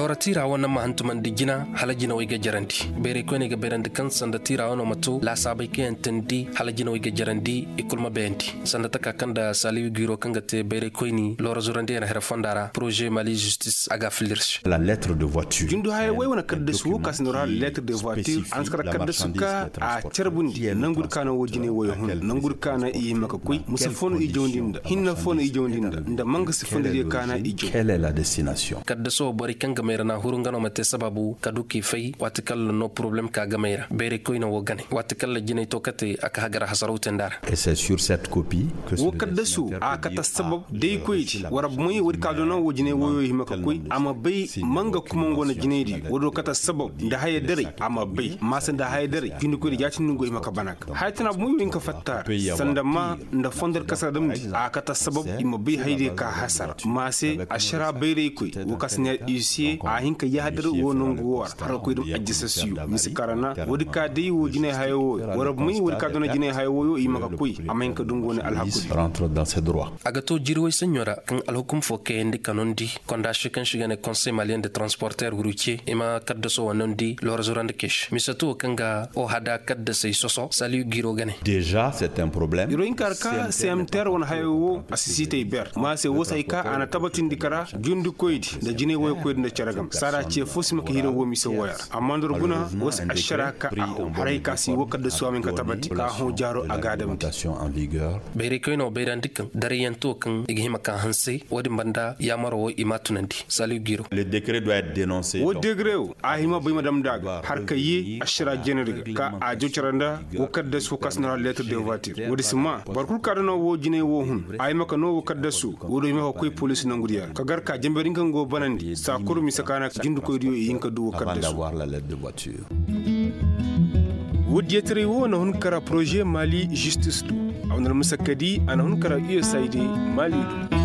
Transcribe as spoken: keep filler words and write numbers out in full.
Boro tiira wane ma hantumandi jina hala jinawey ga jarandi. Bayraykoyney ga bayrandi kaŋ sanda tiira wano ma to laasaabey kaŋ yaŋ teendi hala jinawey ga jarandi i kul ma bayandi. Sanda taka kaŋ nda saliyu giiro kaŋ ga te bayraykoyni loora zurandi yaŋ hera fonda ra poroze mali justis a ga a fillirsi. Jundu hayey wey wane kaddasu wo ka si nor hala lettre de voiture a na si kar kaddasu ka a carbundi nangu di ka na wo jinay woyo hun nangu di ka na i hima ka koy musa fo no i jawndi nda hinna fo no i jawndi nda nda manga si fondiriyo ka na i jaw. Kaddaso borey kaŋ ga mayra na huru nga no ma te sababu ka du k'i fay waati kaŋ la no poroblem ka ga mayra bayray koyne wo gane waati kaŋ la jinay to kate a ka hagara hasaraw te nda ra. Wo kaddaso a kata sabab day koydi wara bomoy woodi ka doona wo jinay woyo hima ka koy a ma bay manga kuma ngo na jinaydi woodi wo kata sabab nda haya daray a ma bay maasa nda haya daray jindikoydi jaatindi ngo hima ka bana ga haya tana bomoy wo hin ka fatta ra sanda ma nda fondor kasar damndi a kata sabab i ma bay haydiyo ka hasara ma se ašara bayraykoy wo ka si ne usa a hin ka yahadar wo nangu wo ra har ka koy dam ajjasasiyo mise karana woodi ka day wo jinay hayo wo wara bomoy woodi ka doona jinay hayo woyo i ma ka koy a ma hin ka dungu wane alhakudi. A ga to jiri woy saɲɲo ra kaŋ alhukum fo kayandi ka nondi konda se kaŋ se i ga ne konsey maliyen de transporter wuru ce i ma kaddaso wa nondi loora zurandi kay se mise to kaŋ ga o hada kaddasey soso saliyu giro ga ne. Iro hinka ra ka cmtr wane hayo wo a si siitay ber ma se wo se hay ka a na tabatindi kara jundikoydi nda jinay woyokoydi nda cere game saada ce fo si ma ka hira wo mise woya ra amma nda war guna wo se ašara ka a hõ haray ka si wo kaddasu a ma hin ka tabati ka a hõ jaaro a ga a damndi. Bayraykoyne wo bayrandi kaŋ darayyanto kaŋ i ga hima ka hanse wo-din banda yaamaro wo i m'a tunandi salihu giro. Wo degre wo a hima bay ma damndi a ga har ka ye ašara jeenadi ga ka a jaw cara nda wo kaddasu wo ka si nor hala lettre de voiture wo-din si ma boro kul ka dana wo jinay wo hun a hima ka noo wo kaddasu wo-din hima ka koy poliisi nangu diya ra ka gar ka jenberi nga nga wo banandi saa kulu mise ka na jindikoydiyo i hin ka du wo kaddasu. Wo diyataray wo na hun kara poroze mali zistis do a wane almusakkadi a na hun kara usaid mali do.